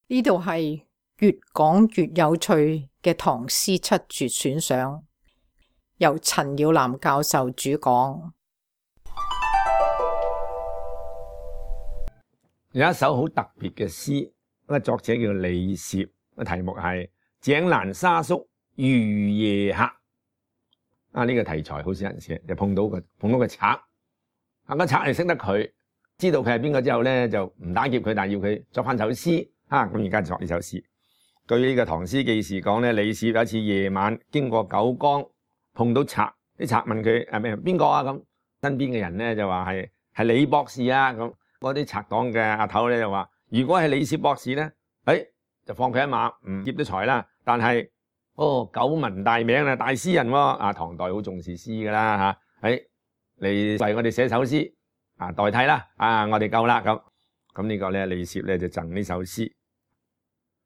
呢度係越講越有趣嘅唐詩七絕選賞，由陳耀南教授主講。有一首好特別嘅詩，個作者叫李涉，個題目係《井欄沙宿遇夜客》。呢個題材好少人寫，就碰到個賊。個賊係識得佢，知道佢係邊個之後咧，就唔打劫佢，但係要佢作翻首詩。咁而家作呢首詩。據呢個《唐詩記事》講咧，李涉有一次夜晚經過九江，碰到賊，啲賊問佢邊個啊？咁身邊嘅人咧就話係李博士啊。咁嗰啲賊黨嘅阿頭咧就話：如果係李涉博士咧，就放佢一馬，唔劫咗財啦。但係久聞大名啦，大詩人喎。唐代好重視詩噶啦嚇。你為我哋寫首詩代替啦。我哋夠啦咁呢個咧，李涉咧就贈呢首詩：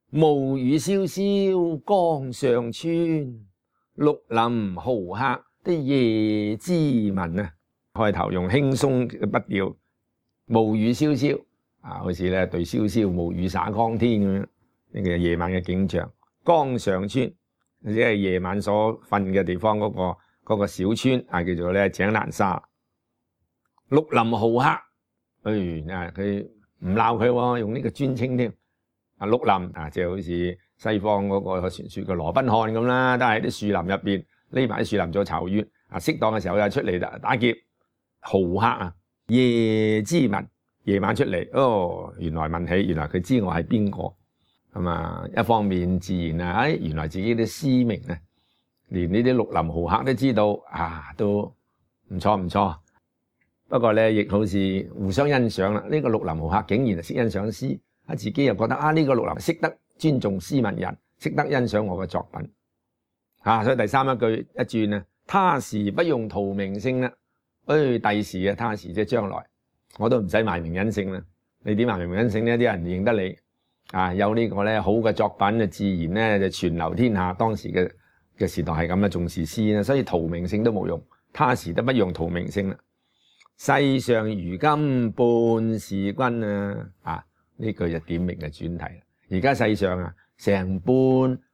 暮雨蕭蕭江上村，綠林豪客的夜之文啊。開頭用輕鬆嘅筆調，暮雨蕭蕭好似咧對瀟瀟暮雨灑江天咁樣。呢個夜晚嘅景象，江上村即係夜晚所瞓嘅地方嗰個小村叫做咧井欄沙。綠林豪客，佢唔鬧佢喎，用呢個尊稱添。綠林即係好似西方嗰個傳說嘅羅賓漢咁啦，都係啲樹林入邊匿埋啲樹林做巢穴。適當嘅時候又出嚟打劫。豪客夜之文，夜晚出嚟，原來問起，原來佢知我係邊個。一方面自然原來自己啲詩名連呢啲綠林豪客都知道，都唔錯。不過咧，亦好似互相欣賞啦。呢個綠林豪客竟然係識欣賞詩，自己又覺得呢個綠林識得尊重詩文人，識得欣賞我嘅作品。所以第三一句一轉他時不用圖名聲啦。第時他時即係將來，我都唔使賣名隱姓啦。你點賣名隱姓呢？啲人認得你。有呢個咧好嘅作品自然咧就傳流天下。當時嘅時代係咁啦，重視詩啦，所以圖名姓都冇用，他時都不用圖名姓啦。世上如今半是君呢句就點明嘅轉題啦。而家世上成半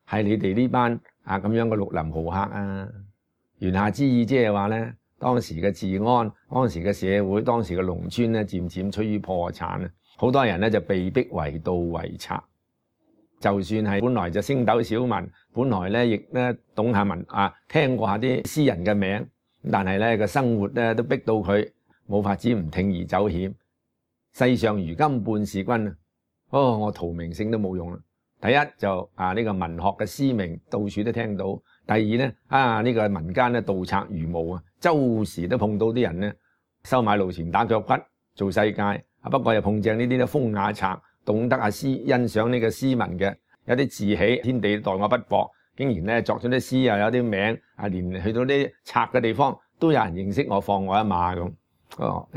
係你哋呢班咁樣嘅綠林豪客。言下之意即係話咧，當時嘅治安、當時嘅社會、當時嘅農村咧漸漸趨於破產。好多人咧就被逼為盜為賊，就算係本來就星斗小民，本來咧亦咧懂下文聽過下啲詩人嘅名，但係咧個生活咧都逼到佢冇法子唔鋌而走險。世上如今半是君我圖名姓都冇用啦。第一就呢個文學嘅詩名到處都聽到，第二咧呢個民間咧盜賊如毛周時都碰到啲人咧收買路錢打腳骨做世界。不過又碰正呢啲風雅賊，懂得欣賞呢個詩文嘅，有啲自喜天地待我不薄，竟然咧作咗啲詩又有啲名，連去到啲賊嘅地方都有人認識我，放我一馬咁。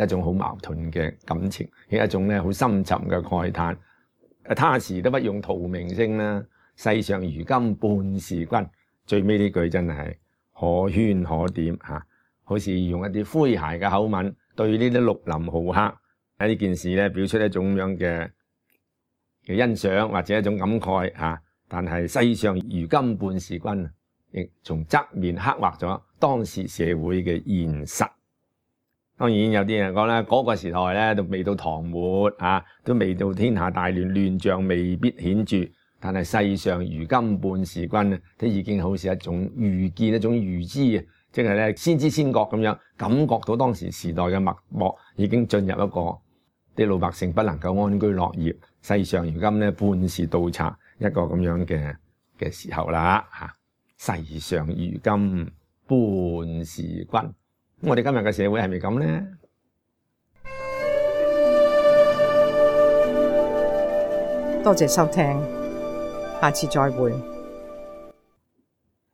一種好矛盾嘅感情，係一種咧好深沉嘅慨嘆。他時都不用圖名聲啦，世上如今半是君。最尾呢句真係可圈可點好似用一啲詼諧嘅口吻對呢啲綠林豪客喺呢件事咧，表出一種咁樣嘅欣賞或者一種感慨但係世上如今半是君，亦從側面刻畫咗當時社會嘅現實。當然有啲人講咧，嗰個時代咧都未到唐末都未到天下大亂，亂象未必顯著。但係世上如今半是君都已經好似一種預見，一種預知即係咧先知先覺咁樣，感覺到當時時代嘅脈搏已經進入一個啲老百姓不能夠安居樂業，世上如今咧半是盜賊一個咁樣嘅時候啦世上如今半是君。我哋今日嘅社會係咪咁呢？多謝收聽，下次再會。